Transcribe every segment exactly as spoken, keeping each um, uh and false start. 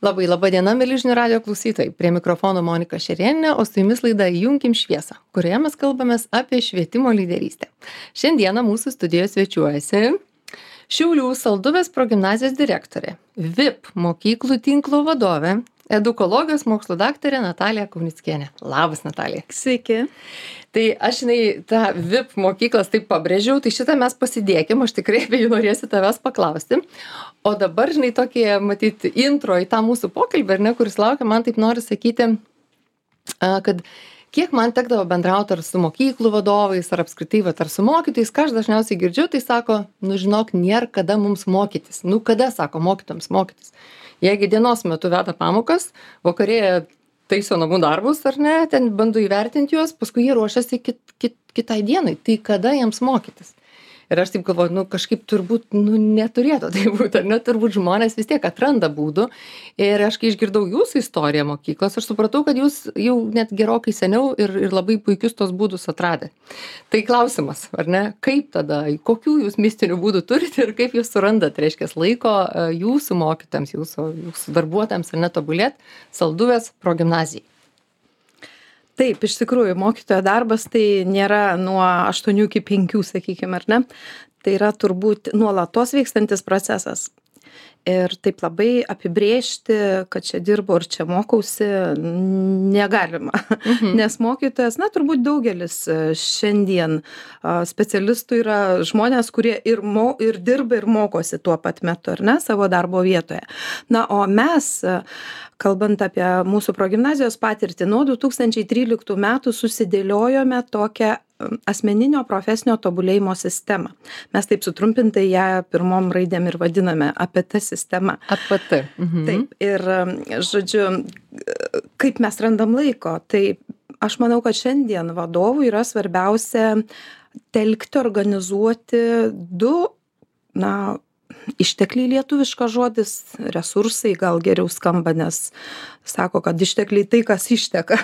Labai laba diena, mėly žinių radijo klausytojai. Prie mikrofono Monika Šerėninė, o su jumis laida Įjunkim šviesą, kurioje mes kalbamės apie švietimo lyderystę. Šiandieną mūsų studijoje svečiuojasi Šiaulių Salduvės progimnazijos direktorė, V I P mokyklų tinklo vadovė, edukologijos mokslų daktarė Natalija Kaunickienė. Labas, Natalija. Sveiki. Tai aš, žinai, tą V I P mokyklas taip pabrėžiau, tai šitą mes pasidėkim, aš tikrai apie jų norėsiu tavęs paklausti. O dabar, žinai, tokie, matyti, intro į tą mūsų pokalbį, ar ne, kuris laukia, man taip nori sakyti, kad kiek man tekdavo bendrauti ar su mokyklų vadovais, ar apskritai, vat, ar su mokytojais, ką aš dažniausiai girdžiu, tai sako, nu žinok, nėra kada mums mokytis. Nu kada, sako, mokytams mokytis. Jeigu dienos metu veda pamokas, vakarėje taiso namų darbus, ar ne, ten bando įvertinti juos, paskui jie ruošiasi kit, kit, kitai dienai. Tai kada jiems mokytis? Ir aš taip galvoju, nu kažkaip turbūt, nu neturėtų tai būti, ar ne, turbūt žmonės vis tiek atranda būdų. Ir aš kai išgirdau jūsų istoriją mokyklos, aš supratau, kad jūs jau net gerokai seniau ir, ir labai puikius tos būdus atradė. Tai klausimas, ar ne, kaip tada, kokių jūs mistinių būdų turite ir kaip jūs surandat, reiškia, laiko jūsų mokytams, jūsų, jūsų darbuotojams ar netobulėt Salduvės progimnazijai. Taip, iš tikrųjų, mokytojo darbas tai nėra nuo aštuonių iki penkių, sakykime, ar ne? Tai yra turbūt nuolatos vykstantis procesas. Ir taip labai apibrėžti, kad čia dirbu ir čia mokausi, negalima. Mhm. Nes mokytojas, na, turbūt daugelis šiandien specialistų yra žmonės, kurie ir, mo, ir dirba ir mokosi tuo pat metu, ar ne, savo darbo vietoje. Na, o mes, kalbant apie mūsų progimnazijos patirtį, nuo du tūkstančiai tryliktų metų susidėliojome tokią asmeninio profesinio tobulėjimo sistemą. Mes taip sutrumpintai ją pirmom raidėm ir vadiname A P T sistema. A P T. Mhm. Taip, ir žodžiu, kaip mes randam laiko, tai aš manau, kad šiandien vadovui yra svarbiausia telkti, organizuoti du, na, ištekliai lietuviškas žodis, resursai gal geriau skamba, nes sako, kad ištekliai tai, kas išteka.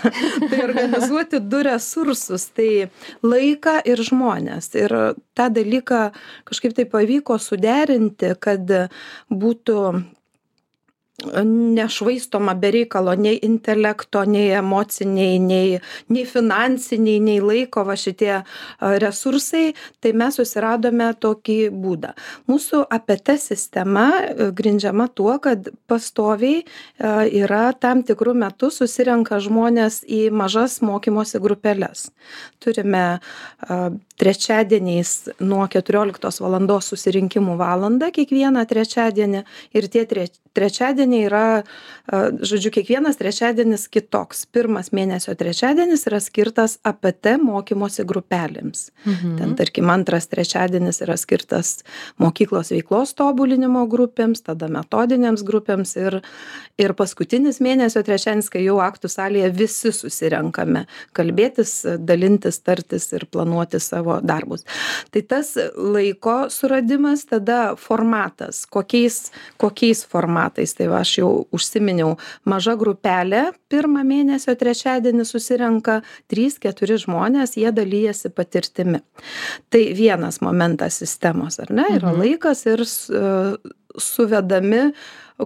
Tai organizuoti du resursus, tai laiką ir žmonės. Ir tą dalyką kažkaip tai pavyko suderinti, kad būtų nešvaistoma be reikalo nei intelekto, nei emociniai, nei, nei finansiniai, nei laiko va šitie resursai, tai mes susiradome tokį būdą. Mūsų A P T sistema grindžiama tuo, kad pastoviai yra tam tikrų metų susirenka žmonės į mažas mokymosi grupelės. Turime trečiadieniais nuo keturioliktos valandos susirinkimų valandą kiekvieną trečiadienį ir tie tre, trečiadieniai yra, žodžiu, kiekvienas trečiadienis kitoks. Pirmas mėnesio trečiadienis yra skirtas A P T mokymosi grupelėms. Mhm. Ten, tarkim, antras trečiadienis yra skirtas mokyklos veiklos tobulinimo grupėms, tada metodinėms grupėms ir, ir paskutinis mėnesio trečiadienis, kai jau aktų salėje visi susirenkame kalbėtis, dalintis, tartis ir planuoti savo darbus. Tai tas laiko suradimas, tada formatas, kokiais, kokiais formatais. Tai va, aš jau užsiminiau, maža grupelė, pirmą mėnesio trečiadienį susirenka trys keturi žmonės, jie dalyjasi patirtimi. Tai vienas momentas sistemos, ar ne, yra laikas ir suvedami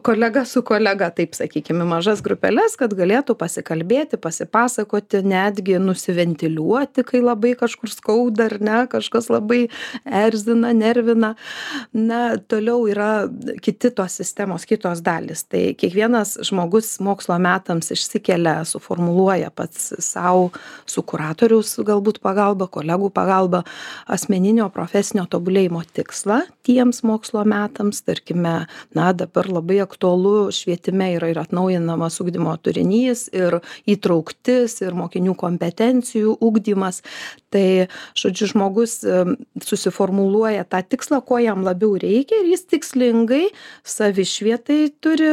kolega su kolega, taip sakykime, mažas grupelės, kad galėtų pasikalbėti, pasipasakoti, netgi nusiventiliuoti, kai labai kažkur skauda, ar ne, kažkas labai erzina, nervina. Na, toliau yra kiti tos sistemos, kitos dalis. Tai kiekvienas žmogus mokslo metams išsikelia, suformuluoja pats savo, su kuratoriaus galbūt pagalba, kolegų pagalba, asmeninio profesinio tobulėjimo tikslą tiems mokslo metams. Tarkime, na, dabar labai aktualu švietime yra ir atnaujinamas ugdymo turinys, ir įtrauktis, ir mokinių kompetencijų ugdymas. Tai, žodžiu, žmogus susiformuluoja tą tikslą, ko jam labiau reikia, ir jis tikslingai savišvietai turi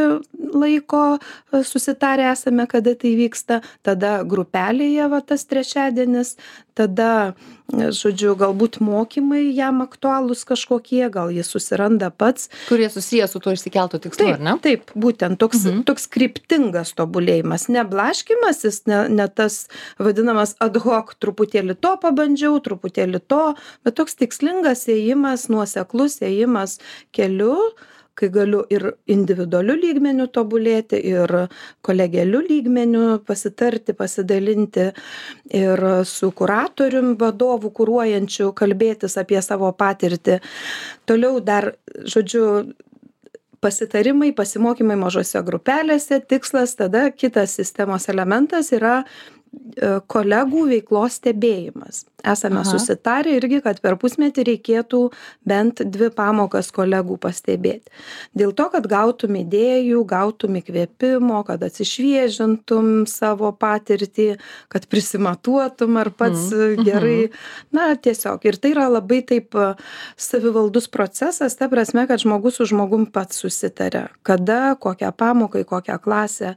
laiko, susitarę esame, kada tai vyksta, tada grupelėje va tas trečiadienis, tada, žodžiu, galbūt mokymai jam aktualūs kažkokie, gal jis susiranda pats. Kurie susiję su tuo išsikeltų tikslu, ar ne? Taip, būtent toks, mhm. toks kryptingas tobulėjimas, ne blaškymasis, ne, ne tas vadinamas ad hoc, truputėlį to pabandžiau, truputėlį to, bet toks tikslingas ėjimas, nuoseklus ėjimas keliu, kai galiu ir individualiu lygmeniu tobulėti, ir kolegialiu lygmeniu pasitarti, pasidalinti, ir su kuratorium vadovu kuruojančiu kalbėtis apie savo patirtį. Toliau dar, žodžiu, pasitarimai, pasimokymai mažose grupelėse, tikslas, tada kitas sistemos elementas yra kolegų veiklos stebėjimas. Esame Aha. susitarę irgi, kad per pusmetį reikėtų bent dvi pamokas kolegų pastebėti. Dėl to, kad gautum idėjų, gautum įkvėpimo, kad atsišviežintum savo patirtį, kad prisimatuotum ar pats mm. gerai. Na, tiesiog. Ir tai yra labai taip savivaldus procesas, ta prasme, kad žmogus su žmogum pats susitarė. Kada, kokią pamoką, kokią klasę.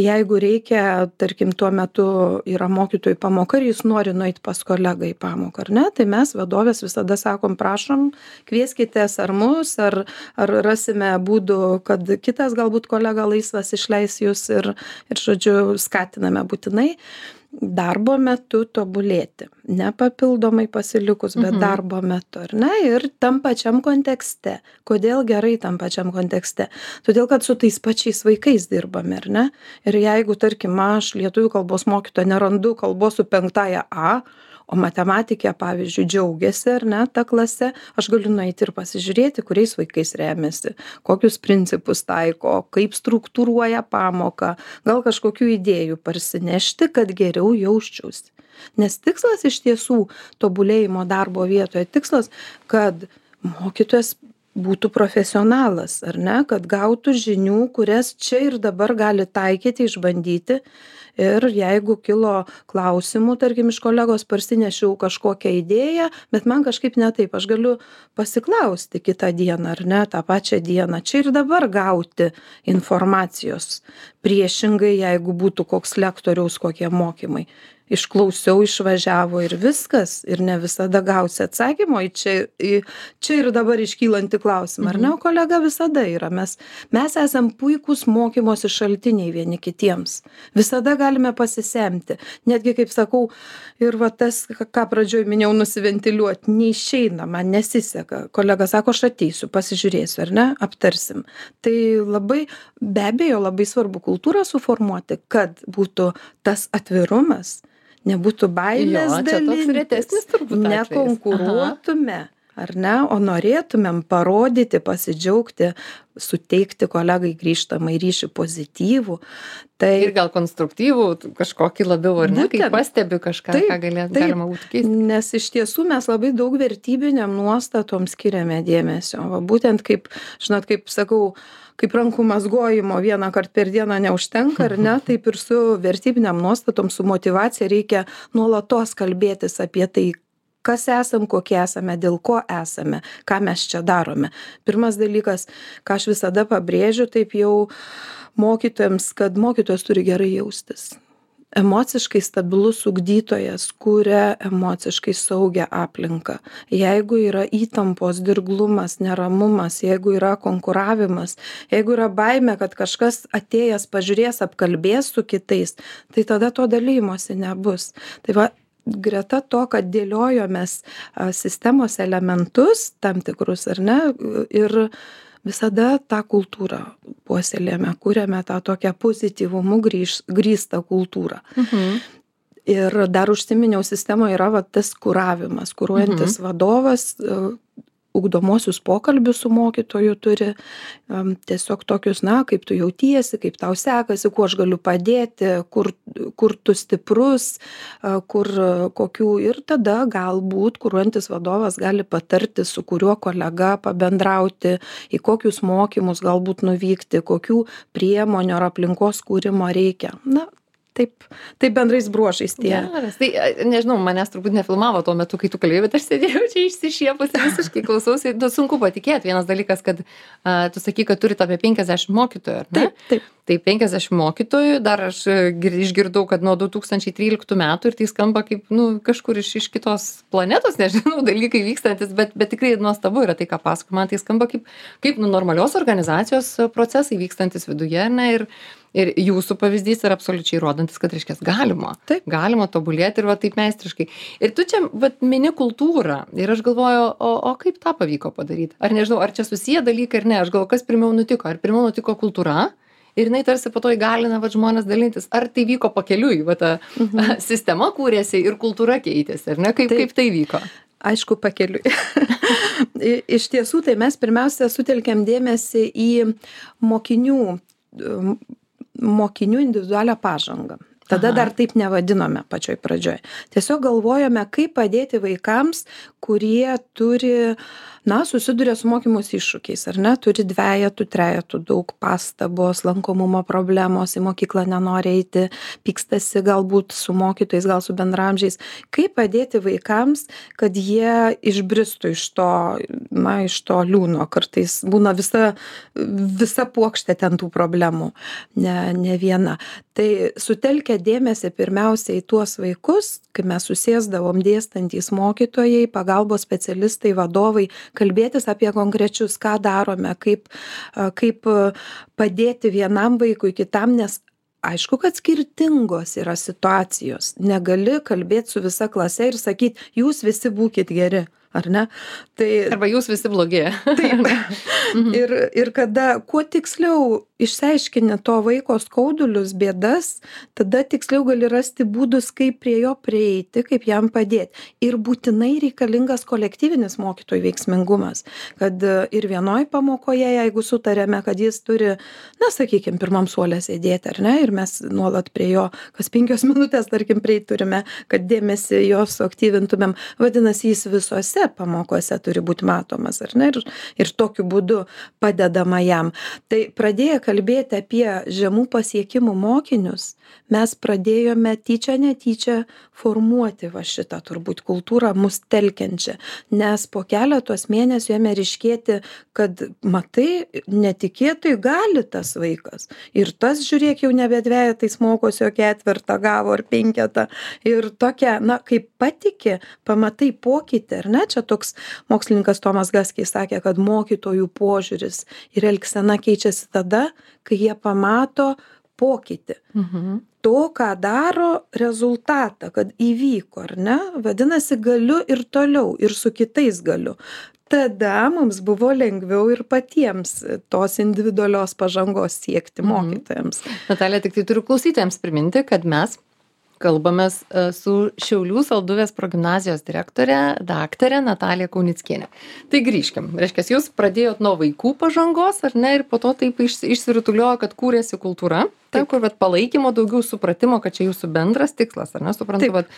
Jeigu reikia, tarkim, tuo metu yra mokytojų pamoka ir jis nori nueiti pas kolegą į pamoką, ar ne? Tai mes vadovės visada sakom, prašom, kvieskitės ar mus, ar, ar rasime būdų, kad kitas galbūt kolega laisvas išleis jūs ir, ir žodžiu, skatiname būtinai darbo metu tobulėti. Ne papildomai pasilikus, bet mhm. darbo metu, ar ne? Ir tam pačiam kontekste. Kodėl gerai tam pačiam kontekste? Todėl, kad su tais pačiais vaikais dirbame, ar ne? Ir jeigu, tarkim, aš lietuvių kalbos mokytoja nerandu kalbos su penktąja A, o matematikė, pavyzdžiui, džiaugiasi, ar ne, ta klase, aš galiu nueiti ir pasižiūrėti, kuriais vaikais remiasi, kokius principus taiko, kaip struktūruoja pamoką, gal kažkokių idėjų parsinešti, kad geriau jausčiausi. Nes tikslas iš tiesų tobulėjimo darbo vietoje, tikslas, kad mokytojas būtų profesionalas, ar ne, kad gautų žinių, kurias čia ir dabar gali taikyti, išbandyti. Ir jeigu kilo klausimų, tarkim, iš kolegos parsinešiau kažkokią idėją, bet man kažkaip ne taip, aš galiu pasiklausti kitą dieną, ar ne, tą pačią dieną, čia ir dabar gauti informacijos. Priešingai, jeigu būtų koks lektoriaus kokie mokymai. Išklausiau, išvažiavo ir viskas, ir ne visada gausi atsakymo į čia, į čia ir dabar iškylantį klausimą, ar ne, o kolega visada yra. Mes, mes esam puikūs mokymosi šaltiniai vieni kitiems. Visada galime pasisemti. Netgi, kaip sakau, ir va tas, ką pradžioj minėjau, nusiventiliuoti, neišeina, man nesiseka. Kolega sako, aš ateisiu, pasižiūrėsiu, ar ne, aptarsim. Tai labai, be abejo, labai svarbu kultūrą suformuoti, kad būtų tas atvirumas, nebūtų baimės dalintis, nekonkuruotume, ar ne, o norėtumėm parodyti, pasidžiaugti, suteikti kolegai grįžtamą ryšį pozityvų. Tai... Ir gal konstruktyvų, kažkokį labiau, ar ne, kai pastebi kažką, taip, ką galė, taip, galima būtų keisti. Nes iš tiesų mes labai daug vertybiniam nuostatom skiriame dėmesio. Va, būtent kaip, žinot, kaip sakau, kaip rankų mazgojimo vieną kartą per dieną neužtenka, ar ne, taip ir su vertybiniam nuostatom, su motyvacija reikia nuolatos kalbėtis apie tai, kas esam, kokie esame, dėl ko esame, ką mes čia darome. Pirmas dalykas, ką aš visada pabrėžiu, taip jau mokytojams, kad mokytojas turi gerai jaustis. Emociškai stabilus ugdytojas kuria emociškai saugią aplinką. Jeigu yra įtampos, dirglumas, neramumas, jeigu yra konkuravimas, jeigu yra baimė, kad kažkas atėjęs pažiūrės, apkalbės su kitais, tai tada to dalymosi nebus. Tai va, greta to, kad dėliojomės sistemos elementus tam tikrus, ar ne, ir visada tą kultūrą puoselėjame, kuriame tą tokią pozityvumu grįž, grįstą kultūrą. Mhm. Ir dar užsiminiau, sistemoje yra va, tas kuravimas, kuruojantis mhm. vadovas, ugdomosius pokalbius su mokytoju turi, um, tiesiog tokius, na, kaip tu jautiesi, kaip tau sekasi, kuo aš galiu padėti, kur, kur tu stiprus, uh, kur kokių, ir tada galbūt kuruojantis vadovas gali patarti, su kuriuo kolega pabendrauti, į kokius mokymus galbūt nuvykti, kokių priemonių ar aplinkos kūrimo reikia. Na, Taip, taip bendrais bruožais tie. Geras. Tai, nežinau, manęs turbūt nefilmavo tuo metu, kai tu kalbėjai, bet aš sėdėjau čia išsišiepusi, visiškai klausausi. Nu, sunku patikėti. Vienas dalykas, kad uh, tu sakai, kad turite apie penkiasdešimt mokytojų, ar ne? Taip, taip. Tai penkiasdešimt mokytojų, dar aš gir- išgirdau, kad nuo du tūkstančiai tryliktų metų ir tai skamba kaip, nu, kažkur iš, iš kitos planetos, nežinau, dalykai vykstantis, bet, bet tikrai nuostabu yra tai, ką pasako. Man tai skamba kaip, kaip nu, normalios organizacijos procesai vykstantis viduje, ne, ir, ir jūsų pavyzdys yra absoliučiai rodantis, kad, reiškia, galima. Taip. Galima tobulėti ir va taip meistriškai. Ir tu čia, va, mini kultūrą. Ir aš galvoju, o, o kaip tą pavyko padaryti? Ar nežinau, ar čia susiję dalykai ar ne? Aš galvoju, kas pirmiau nutiko? Ar pirmiau nutiko kultūra? Ir jinai tarsi po to įgalina va, žmonės dalintis. Ar tai vyko pakeliui, va ta mhm. sistema kūrėsi ir kultūra keitėsi, ar ne? Kaip, Taip. kaip tai vyko? Aišku, pakeliui. Iš tiesų, tai mes pirmiausia sutelkiam dėmesį į mokinių, mokinių individualią pažangą. Tada Aha. dar taip nevadinome pačioj pradžioj. Tiesiog galvojame, kaip padėti vaikams, kurie turi, na, susiduria su mokymus iššūkiais, ar ne, turi dvejetų, trejetų, daug pastabos, lankomumo problemos, į mokyklą nenori eiti, pykstasi galbūt su mokytojais, gal su bendramžiais. Kaip padėti vaikams, kad jie išbristų iš to, na, iš to liūno. Kartais būna visa, visa puokštė ten tų problemų, ne, ne viena. Tai sutelkia dėmesį pirmiausia į tuos vaikus, kai mes susėsdavom dėstantys mokytojai, pagalbos specialistai, vadovai, kalbėtis apie konkrečius, ką darome, kaip, kaip padėti vienam vaikui, kitam, nes aišku, kad skirtingos yra situacijos. Negali kalbėti su visa klase ir sakyti, jūs visi būkit geri, ar ne? Tai, Arba jūs visi blogi. Taip. ir, ir kada kuo tiksliau išsiaiškini to vaiko skaudulius, bėdas, tada tiksliau gali rasti būdus, kaip prie jo prieiti, kaip jam padėti. Ir būtinai reikalingas kolektyvinis mokytojų veiksmingumas. Kad ir vienoj pamokoje, jeigu sutarėme, kad jis turi, na, sakykime, pirmam suolė sėdėti, ar ne, ir mes nuolat prie jo, kas penkios minutės, tarkim, prieiti turime, kad dėmesį jo suaktyvintumėm, vadinasi, jis visose pamokose turi būti matomas, ar ne, ir, ir tokiu būdu padedama jam. Tai pradėję kalbėti apie žemų pasiekimų mokinius, mes pradėjome tyčia netyčia formuoti va šitą turbūt kultūrą mus telkiančią, nes po keletos mėnesių ėmė ryškėti, kad matai, netikėtai gali tas vaikas. Ir tas, žiūrėk, jau nebe dvejetais mokosi, o ketvirtą gavo ar penketą. Ir tokia, na, kaip patiki, pamatai pokytį, ar ne? Čia toks mokslininkas Tomas Gaskiai sakė, kad mokytojų požiūris ir elgsena keičiasi tada, kai jie pamato pokytį. Mhm. To, ką daro, rezultatą, kad įvyko, ar ne? Vadinasi, galiu ir toliau, ir su kitais galiu. Tada mums buvo lengviau ir patiems tos individualios pažangos siekti mokytojams. Mhm. Natalija, tik tai turiu klausytojams priminti, kad mes kalbamės su Šiaulių Salduvės progimnazijos direktorė, daktarė Natalija Kaunickienė. Tai grįžkim. Reiškia, jūs pradėjot nuo vaikų pažangos, ar ne, ir po to taip išsirutuliojo, kad kūrėsi kultūra, taip, kur vat, palaikymo, daugiau supratimo, kad čia jūsų bendras tikslas, ar ne, suprantu, vat,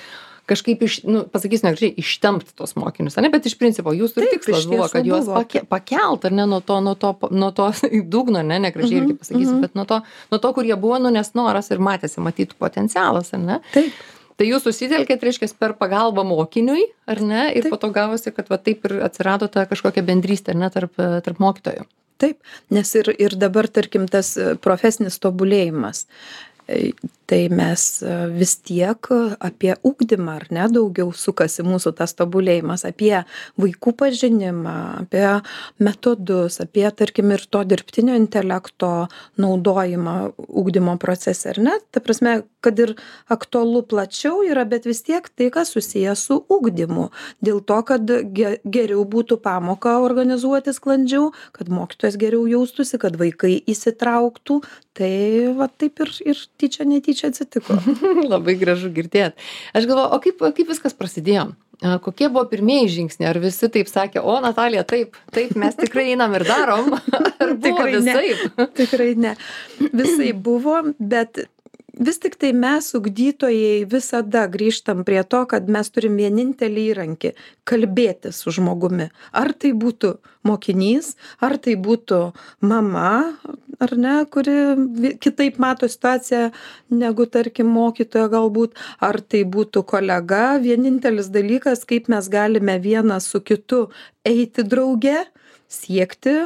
kažkaip, iš, nu, pasakysiu, negražiai, ištempti tos mokinius, ne, bet iš principo jūsų Taip, tikslas buvo, kad juos pake, pakelt, ar ne, nuo to, nuo to, nuo to dugno, ne, negražiai irgi pasakysiu, mm-hmm. bet nuo to, nuo to, kur jie buvo, nu, nes noras ir matėsi, matytų potencialas, ar ne? Taip. Tai jūs susitelkėt, reiškia, per pagalbą mokiniui, ar ne, ir Taip. po to gavosi, kad va taip ir atsirado ta kažkokia bendrystė, ar ne, tarp, tarp mokytojų. Taip, nes ir, ir dabar, tarkim, tas profesinis tobulėjimas. Tai mes vis tiek apie ugdymą, ar ne, daugiau sukasi mūsų tas tobulėjimas, apie vaikų pažinimą, apie metodus, apie, tarkim, ir to dirbtinio intelekto naudojimą ugdymo procese, ar ne? Ta prasme, kad ir aktualu plačiau yra, bet vis tiek tai, kas susiję su ugdymu. Dėl to, kad geriau būtų pamoką organizuoti sklandžiau, kad mokytojas geriau jaustųsi, kad vaikai įsitrauktų, tai va taip ir, ir tyčia netyčia atsitiko. Labai gražu girdėti. Aš galvoju, o kaip, kaip viskas prasidėjo? Kokie buvo pirmieji žingsniai? Ar visi taip sakė, o Natalija, taip, taip, mes tikrai einam ir darom? Ar buvo Tikrai visaip? Ne. Tikrai ne. Visai buvo, bet vis tik tai mes, ugdytojai, visada grįžtam prie to, kad mes turim vienintelį įrankį – kalbėti su žmogumi. Ar tai būtų mokinys, ar tai būtų mama, ar ne, kuri kitaip mato situaciją negu, tarkim, mokytoja galbūt, ar tai būtų kolega. Vienintelis dalykas, kaip mes galime vienas su kitu eiti drauge, siekti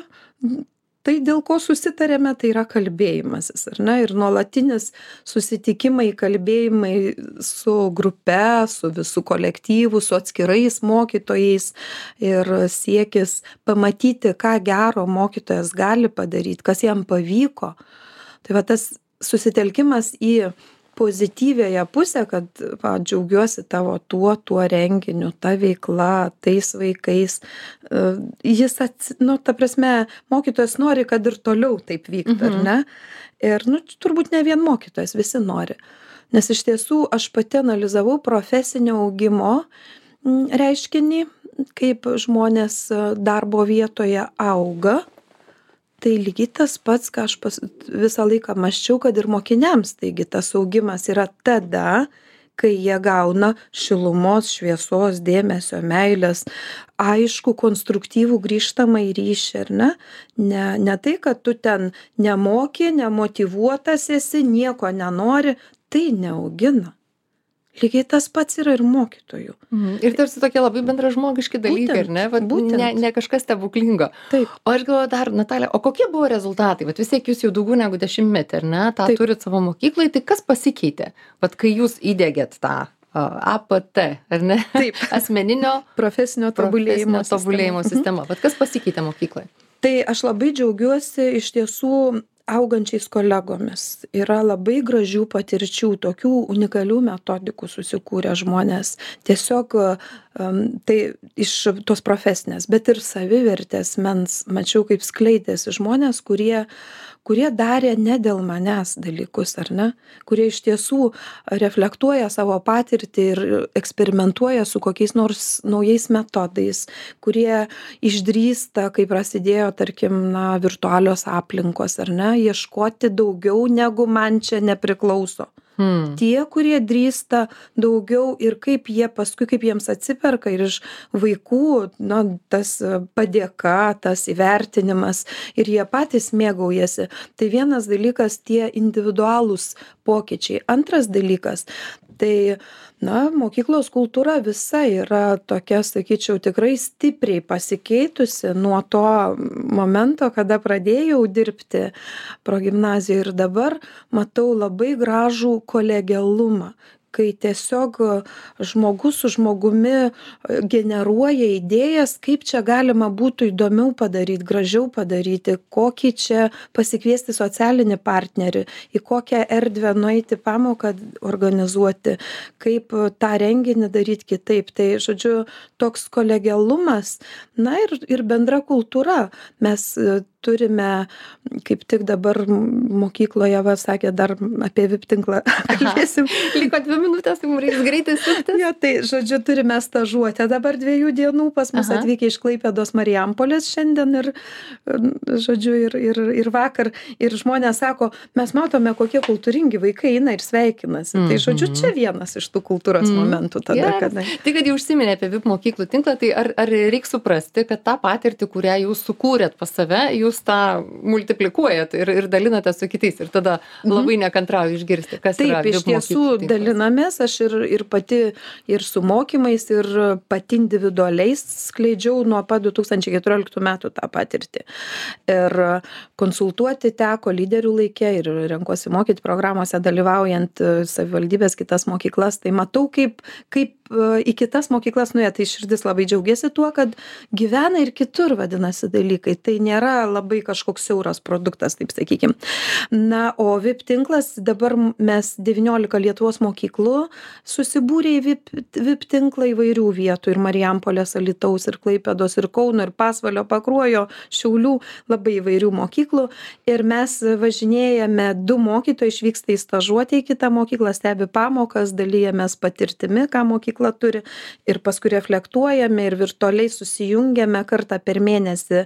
tai dėl ko susitarėme, tai yra kalbėjimasis, ar ne? Ir nuolatinis susitikimai, kalbėjimai su grupe, su visų kolektyvu, su atskirais mokytojais ir siekis pamatyti, ką gero mokytojas gali padaryti, kas jam pavyko. Tai va tas susitelkimas į pozityviąją pusę, kad va, džiaugiuosi tavo tuo, tuo renginiu, ta veikla, tais vaikais. Jis, ats, nu, ta prasme, mokytojas nori, kad ir toliau taip vyktų, mhm. ar ne? Ir, nu, turbūt ne vien mokytojas, visi nori. Nes iš tiesų aš pati analizavau profesinio augimo reiškinį, kaip žmonės darbo vietoje auga. Tai lygiai tas pats, ką aš pas, visą laiką maščiau, kad ir mokiniams, taigi tas augimas yra tada, kai jie gauna šilumos, šviesos, dėmesio, meilės, aišku, konstruktyvų grįžtamą į ryšį, ar ne? Ne, ne tai, kad tu ten nemoki, nemotyvuotas esi, nieko nenori, tai neaugina. Lygiai tas pats yra ir mokytojų. Mhm. Ir tarsi tokie labai bendražmogiški dalykai, ar ne? Vat, ne? Ne kažkas stebuklingo. Taip. O aš galvoju dar, Natalija, o kokie buvo rezultatai? Vat vis tiek jūs jau daugiau negu dešimtmetį, ar ne? Ta turit savo mokyklai, tai kas pasikeitė? Vat kai jūs įdėgėt tą A P T, ar ne? Taip. Asmeninio profesinio tobulėjimo, profesinio tobulėjimo sistema. sistema. Vat kas pasikeitė mokyklai? Tai aš labai džiaugiuosi iš tiesų augančiais kolegomis. Yra labai gražių patirčių, tokių unikalių metodikų susikūrė žmonės. Tiesiog um, tai iš tos profesinės, bet ir savivertės mens, mačiau, kaip skleidėsi žmonės, kurie kurie darė ne dėl manęs dalykus, ar ne? Kurie iš tiesų reflektuoja savo patirtį ir eksperimentuoja su kokiais nors naujais metodais, kurie išdrįsta, kai prasidėjo, tarkim, na, virtualios aplinkos, ar ne, ieškoti daugiau negu man čia nepriklauso. Hmm. Tie, kurie drįsta daugiau ir kaip jie paskui, kaip jiems atsiperka ir iš vaikų, na, tas padėka, tas įvertinimas ir jie patys mėgaujasi. Tai vienas dalykas tie individualūs pokyčiai. Antras dalykas, tai, na, mokyklos kultūra visa yra tokia, sakyčiau, tikrai stipriai pasikeitusi nuo to momento, kada pradėjau dirbti progimnazijoje ir dabar matau labai gražų kolegialumą, kai tiesiog žmogus su žmogumi generuoja idėjas, kaip čia galima būtų įdomiau padaryti, gražiau padaryti, kokį čia pasikviesti socialinį partnerį, į kokią erdvę nueiti pamoką organizuoti, kaip tą renginį daryti kitaip. Tai, žodžiu, toks kolegialumas, na ir, ir bendra kultūra. Mes turime, kaip tik dabar mokykloje, va, sakė, dar apie V I P tinklą kalbėsim. Liko dvi minutės, tai mums reiks greitai suktis. Jo, tai, žodžiu, turime stažuotę dabar dviejų dienų, pas mus Aha. atvykę iš Klaipėdos Marijampolės šiandien ir, žodžiu, ir, ir, ir vakar. Ir žmonės sako, mes matome, kokie kultūringi vaikai eina ir sveikinasi. Mm-hmm. Tai, žodžiu, čia vienas iš tų kultūros mm-hmm. momentų tada, yes. kada. Tai, kad jau užsiminė apie V I P mokyklų tinklą, tai ar, ar reikia suprasti, kad tą patirtį, kurią jūs sukūrėt pas save, jūs tą multiplikuojat ir, ir dalinate su kitais ir tada labai nekantrauju išgirsti, kas Taip, yra V I P iš tiesų dalinamės, aš ir, ir pati ir su mokymais, ir pati individualiais skleidžiau nuo pat du tūkstančiai keturioliktų metų tą patirtį. Ir konsultuoti teko lyderių laikė ir renkuosi mokyti programuose dalyvaujant savivaldybės kitas mokyklas, tai matau, kaip, kaip į kitas mokyklas nuėję, tai širdis labai džiaugiasi tuo, kad gyvena ir kitur, vadinasi, dalykai. Tai nėra labai kažkoks siauras produktas, taip sakykim. Na, o V I P tinklas, dabar mes devyniolika Lietuvos mokyklų susibūrė į V I P, V I P tinklą įvairių vietų, ir Marijampolės, Alytaus, ir Klaipėdos, ir Kauno, ir Pasvalio, Pakruojo, Šiaulių, labai įvairių mokyklų. Ir mes važinėjame, du mokytojai išvyksta į stažuotę į kitą mokyklą, stebi pamokas, dalyjamės patirtimi, ką mokykla turi, ir paskui reflektuojame ir virtualiai susijungiame kartą per mėnesį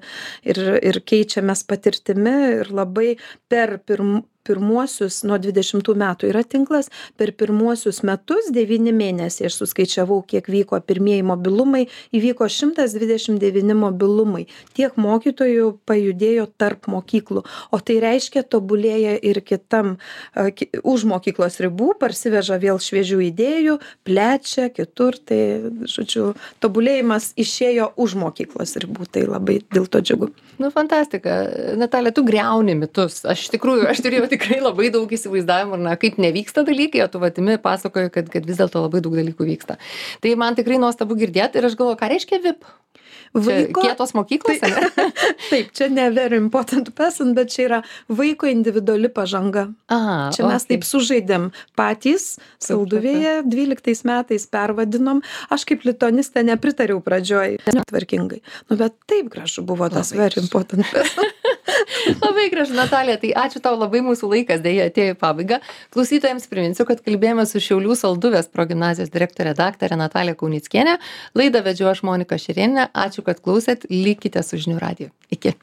ir, ir keičiamės patirtimi ir labai per pirm, pirmuosius, nuo dvidešimtų metų yra tinklas, per pirmuosius metus, devyni mėnesiai, aš suskaičiavau, kiek vyko pirmieji mobilumai, įvyko šimtas dvidešimt devyni mobilumai. Tiek mokytojų pajudėjo tarp mokyklų. O tai reiškia, tobulėja ir kitam, už mokyklos ribų, parsiveža vėl šviežių idėjų, plečia kitur. Tai, žodžiu, tobulėjimas išėjo už mokyklos ribų. Tai labai dėl to džiugu. Nu, fantastika. Natalija, tu griauni mitus. Aš iš tikrųjų, aš turėjau tikrai labai daug įsivaizdavimų, na, kaip nevyksta dalykai, o tu vatimi pasakoji, kad, kad vis dėlto labai daug dalykų vyksta. Tai man tikrai nuostabu girdėti ir aš galvoju, ką reiškia V I P? Vaiko, kietos mokyklos? Tai, taip, čia ne very important person, bet čia yra vaiko individuali pažanga. Aha, čia mes okay. taip sužaidėm patys, Salduvėje, dvyliktais metais pervadinom. Aš kaip litonistė nepritariau pradžioj, netvarkingai. Nu, bet taip gražu buvo tas labai very important person. Labai gražu, Natalija, tai ačiū tau labai, mūsų laikas dėja atėjo į pabaigą. Klausytojams priminsiu, kad kalbėjome su Šiaulių Salduvės progimnazijos direktorė daktarė Natalija Kaunickienė. Laidą vedžiau aš Monika Šerėnienė. Ačiū, kad klausėt. Likite su Žinių radiju. Iki.